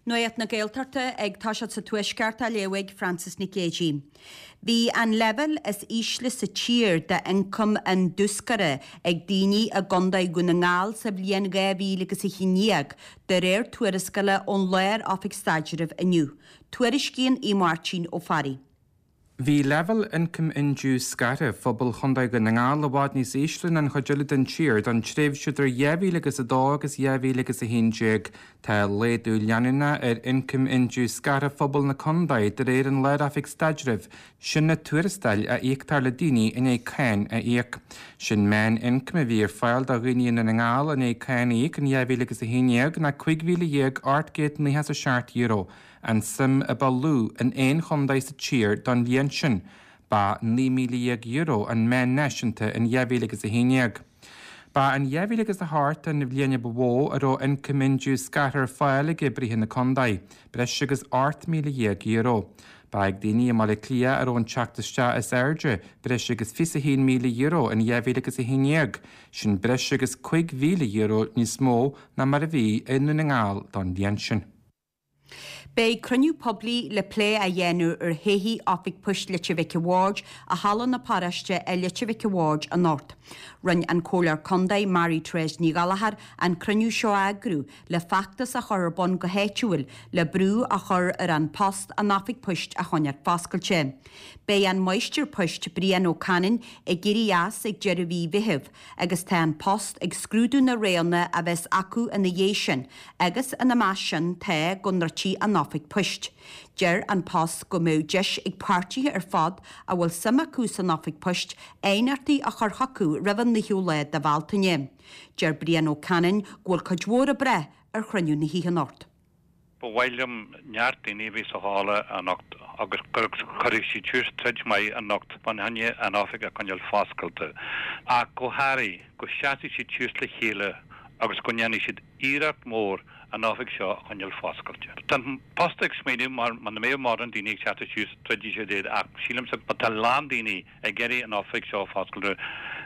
Nuacht na Gaeltachta ag toiseacht sa Tuaisceart á léamh ag Frances Nic Géadaigh. Bhí an leibhéal is ísle sa tír d'ioncam indiúscartha ag daoine i gContae Dhún na nGall sa bhliain 2011, de réir tuarascála ón Lár-Oifig Staidrimh inniu. Tuairiscíonn Aodh Máirtín Ó Fearraigh. Bhí leibhéal ioncaim indiúscartha phobal Chontae Dhún na nGall i bhfad níos ísle ná an chuid eile den tír don tréimhse idir 2002 agus 2011. Tá laghdú leanúnach ar ioncam indiúscartha phobal na contae de réir an Lár-Oifig Staidrimh, sin na tuarastail a íoctar le daoine i ndiaidh cáin a íoc. Sé'n meán-ioncam a bhí ar fáil do dhaoine i nDún na nGall i ndiaidh cáin a íoc in 2011 ná €15,897. an tsuim a ba lú in aon chontae sa tír don bhliain sin. Ba €19,000 an meán náisiúnta in 2011. Ba in 2008 an bhliain a ba mhó a raibh ioncam indiúscartha ar fáil ag oibrithe na contae, breis agus €18,000. Ba ag daoine i mBaile Átha Cliath a raibh an teacht isteach is airde, breis agus €21,000 in 2011, sin breis agus €5,000 níos mó ná mar a bhí i nDún na nGall don bhliain sin. Beidh cruinniú poiblí le plé a dhéanamh ar thodhchaí Oifig Poist Leitir Mhic a' Bhaird i Halla na Paróiste i Leitir Mhic a' Bhaird anocht. Rinne an Comhairleoir Contae Mary Therese Ní Ghallchóir an cruinniú seo a eagrú le feachtas a chur ar bun go háitiúil le brú a chur ar An Post an oifig poist a choinneáil foscailte. Beidh an Máistir Poist Brian Ó Canainn ag éirí as ag deireadh mhí Mheithimh agus tá An Post ag scrúdú na roghanna a bheas acu ina dhiaidh sin agus ina measc sin tá go ndruidfí an oifig poist. Deir An Post go mbeadh deis ag páirtithe ar fad a bhfuil suim acu san oifig poist aighneachtaí a chur chucu roimh an 9ú lá de Bhealtaine. Deir Brian Ó Canainn go bhfuil cuid mhór ag brath ar chruinniú na hoíche anocht. Ba mhaith liom neart daoine a bheith sa halla anocht agus go gcuirfidh siad suas troid maith anocht fá choinne an oifig a choinneáil foscailte. Ach go háirithe, go seasfaidh siad suas le chéile agus go ndéanfaidh siad iarracht mhór an oifig seo a choinneáil foscailte. Tá an Post ag smaoineamh mar muna mbeadh mórán daoine ag seasamh suas troidfidh siad iad ach sílimse má tá a lán daoine ag iarraidh an oifig seo a foscailt,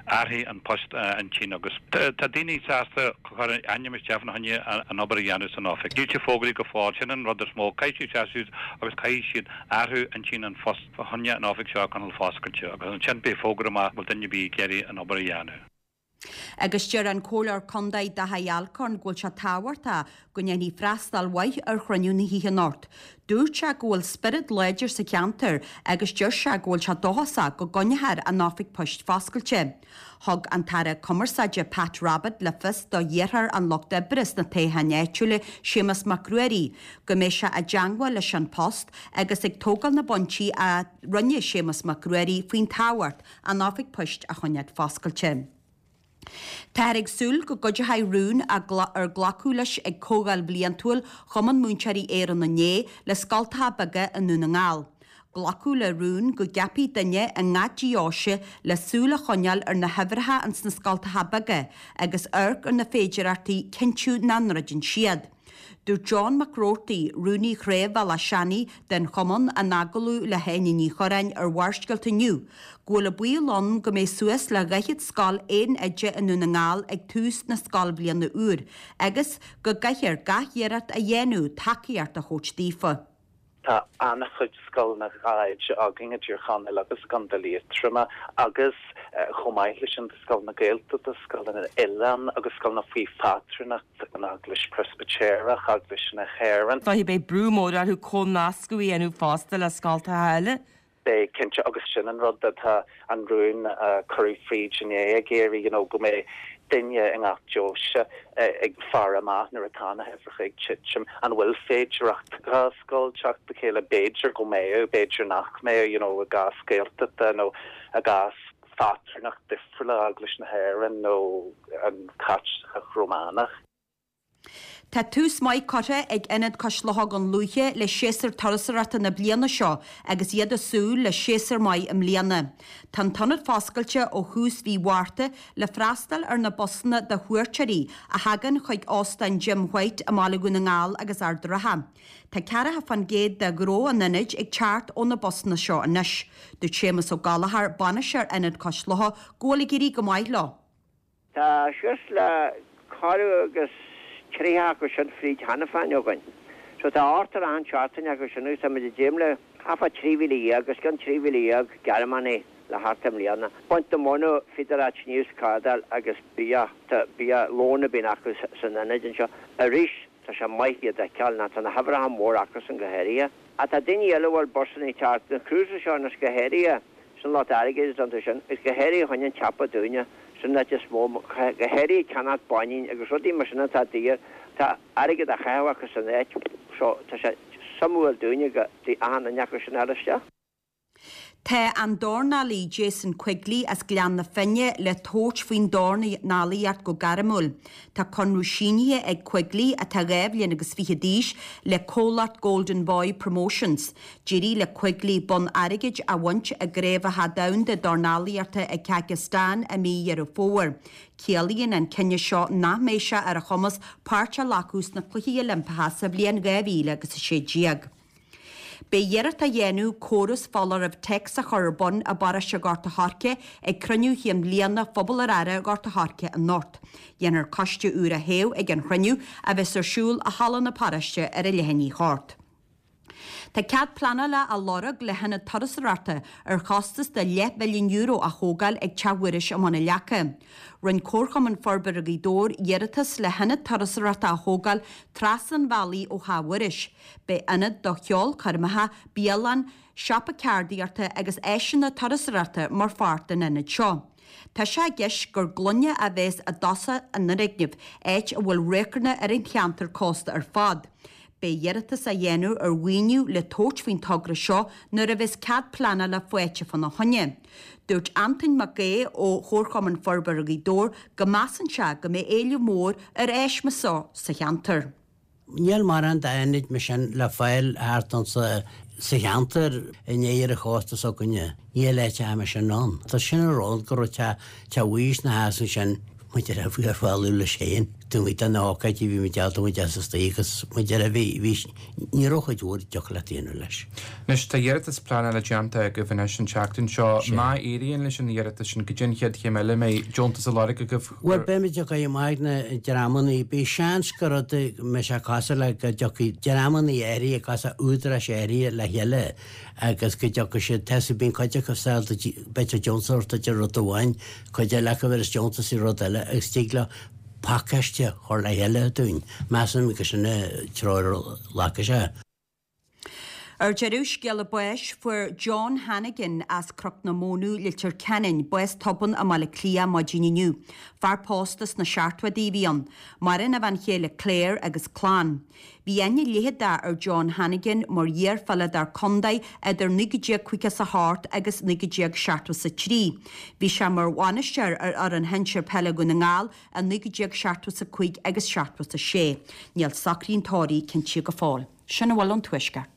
athróidh an Post a intinn agus tá daoine sásta cur a ainm isteach fá choinne an obair a dhéanamh san oifig. Níl sé fógraithe go fóill, sin an rud is mó. Caithfidh siad seasamh suas agus caithfidh siad athrú intinn an Phost fá choinne an oifig seo a choinneáil foscailte agus ansin beidh fógra amach an bhfuil duine ar bith ag iarraidh an obair a dhéanamh. Agus deir an Comhairleoir Contae Daithí Alcorn go bhfuil sé tábhachtach go ndéanfaí freastal mhaith ar chruinniú na hoíche anocht. Dúirt sé go bhfuil spiorad láidir sa cheantar agus deir sé go bhfuil sé dóchasach go gcoinneofar an oifig poist foscailte. Thug an tAire Cumarsáide Pat Rabbitte le fios do iarrthóir an Lucht Oibre sna toghcháin áitiúla Séamus Mac Ruairí go mbeidh sé i dteangmháil leis An Post agus ag tógáil na bpointí a rinne Séamus Mac Ruairí faoin tábhacht an oifig poist a choinneáil foscailte. Táthar ag súil go gcuideoidh rún ar glacadh leis ag Comhdháil Bhliantúil Chumann Múinteoirí Éireann inné le scoltacha beaga i nDún na nGall. Glacadh le rún go gceapfaí duine i ngach deoise le súil a choinneáil ar na huimhreacha ins na scoltacha beaga agus amharc ar na féidireachtaí cinntiú nach ndruideann siad. Dúirt John Mac Roarty, Rúnaí Chraobh Bhealach Seanaidh den Chumann, in agallamh le hÁine Ní Churráin ar Bharrscéalta inniu, go bhfuil an baol ann go mbeidh suas le 40 scoil aon oide i nDún na nGall ag tús na scoilbhliana úr agus go gcaithfear gach iarracht a dhéanamh tacaíocht a thabhairt daofa. Tá an-chuid scoileanna 2 oide againn i dTír Chonaill agus i gContae Liatroma agus chomh maith leis sin tá scoileanna Gaeltachta, scoileanna oileán agus scoileanna faoi phátrúnacht an Eaglais Preispitéireach, Eaglais na hÉireann. Is dóiche beidh brú mór orthu comhnascadh a dhéanamh fosta le scoltacha eile. Beidh, cinnte, agus sin an rud atá an rún a cuireadh fríd inné ag iarraidh, you know, go mbeidh duine i ngach deoise ag faire amach nuair atá na huimhreacha ag titim, an bhfuil féidireacht 2 scoil teacht le chéile, b'fhéidir go mbeadh, b'fhéidir nach mbeadh, you know, i gcás Gaeltachta nó i gcás phátrúnacht difriúla, Eaglais na hÉireann nó an Chaitliceach Rómánach. Tá tús maith curtha ag Ionad Cois Locha Dhún Lúiche le séasúr turasóireachta na bliana seo agus iad ag súil le séasúr maith i mbliana. Tá an t-ionad foscailte ó thús mhí Mhárta le freastal ar na busanna de chuairteoirí a thagann chuig Óstán Jim White i mBaile Dhún na nGall agus Ard an Rátha. Tá 40% de ghnó an ionaid ag teacht ó na busanna seo anois. Dúirt Séamus Ó Gallchóir, bainisteoir Ionad Cois Locha, go bhfuil ag éirí go maith leo. Tá suas le corradh agus 30 acu sin fríd cheana féin againn. So tá ochtar achan seachtain acu sin agus tá muid ag dréim le thart fá 13,000, os cionn 13,000 Gearmánaigh le theacht i mbliana. Baint na móna, bhíodar á sníomh 's cardáil agus bia, tá bia, lón a bhíonn acu san ionad anseo. Arís, tá sé maith iad a fheiceáil, ná tá na huimhreacha mór acusan go háirithe. Ach tá daoine eile a bhfuil busanna ag teacht, na cruises seo anois go háirithe, sin lot airgid atá iontu sin, agus go háirithe chun an tsiopa dúinne, sin an áit is mó, go háirithe ceannacht báinín agus rudaí mar sin atá daor, tá airgead á chaitheamh acu san áit so tá sé suimiúil dúinne go dtig achan duine acu sin a fháil isteach. Tá an dornálaí Jason Quigley as Gleann na Finne le tabhairt faoin dornálaíocht go gairmiúil. Tá conradh sínithe ag Quigley, atá 2 bhliain agus fiche d'aois, le comhlacht Golden Boy Promotions. D'éirigh le Quigley bonn airgid a bhaint i gCraobhacha Domhanda Dornálaíochta i Kazakhstan i mí Dheireadh Fómhair. Ciallaíonn an cinneadh seo nach mbeidh sé ar a chumas páirt a ghlacadh sna Cluichí Oilimpeacha sa bhliain 2016. Beidh iarracht á dhéanamh córas foláirimh téacs a chur ar bun i bparóiste Ghort a' Choirce ag cruinniú chinn bhliana Phobal ar Aire Ghort a' Choirce anocht. Dhéanfar coiste úr a thoghadh ag an chruinniú, a bheas ar siúl i Halla na Paróiste ar a leath i ndiaidh a hocht. Tá cead pleanála á lorg le hionad turasóireachta ar chostas de leathmhilliún euro a thógáil ag Teach Mhuiris i mBun an Leaca. Rinne Comharchumann Forbartha Ghaoth Dobhair iarratas le hionad turasóireachta a thógáil trasna an bhealaigh ó Theach Mhuiris. Beidh ionad do cheolchoirmeacha, bialann, siopa ceardaíochta agus áiseanna turasóireachta mar pháirt den ionad seo. Tá sé i gceist gur gloine a bheas i dtosach an fhoirgnimh, áit a bhfuil radharcanna ar an cheantar cósta ar fad. Beidh iarratas á dhéanamh ar mhaoiniú le tabhairt faoin togra seo nuair a bheas cead pleanála faighte fána choinne. Dúirt Antoin Mac Aodha ó Chomharchumann Forbartha Ghaoth Dobhair go measann sé go mbeidh éileamh mór ar áis mar seo sa cheantar. Níl mórán d'ionaid mar sin le fáil thart anso sa cheantar in oirthear an chósta s'againne. Níl áiteacha mar sin ann. Tá sin an rud go raibh teach teach Mhuiris na theas ansin maidir le bhí ar fáil leis féin. Taobh amuigh de na hócáidí bhí muid ábalta muid as istigh agus maidir le bhí bhí ní raibh chuid mhór deoch le déanamh leis. Anois tá iarratas pleanála déanta agaibh anois an tseachtain seo. Má éiríonn leis an iarratas sin, goidé an chéad chéim eile, an mbeidh deontas á lorg agaibh? Bhuel, beimid ag dul amach ag na dreamanna. Beidh seans go rud a mbeidh sé cosúil le go dtiocfaidh dreamanna áirithe, cosúil údaráis áirithe le chéile agus go dtiocfaidh siad, tá 's bíonn cuid acu sásta b'fhéidir deontas a thabhairt duit ar rud amháin, cuid eile acu a bhéas deontas i rud eile agus tig leo pacáiste a chur le chéile dúinn. Measaim gur sin an treo a ghlacfaidh sé. Ar deireadh, scéala báis, fuair John Hannigan as Cnoc na Mónadh, Leitir Ceanainn, bás tobann i mBaile Átha Cliath maidin inniu. Fear pósta sna seachtóidí a bhí ann. Maireann a bhean chéile Claire agus clann. Bhí aithne leitheadach ar John Hannigan mar iarpheileadóir contae idir 1958 agus 1973. Bhí sé mar bhainisteoir ar fhoireann shinsir peile Dhún na nGall i 1975 agus 76. Níl socruithe an tórraimh cinntithe go fóill. Sin a bhfuil ón Tuaisceart.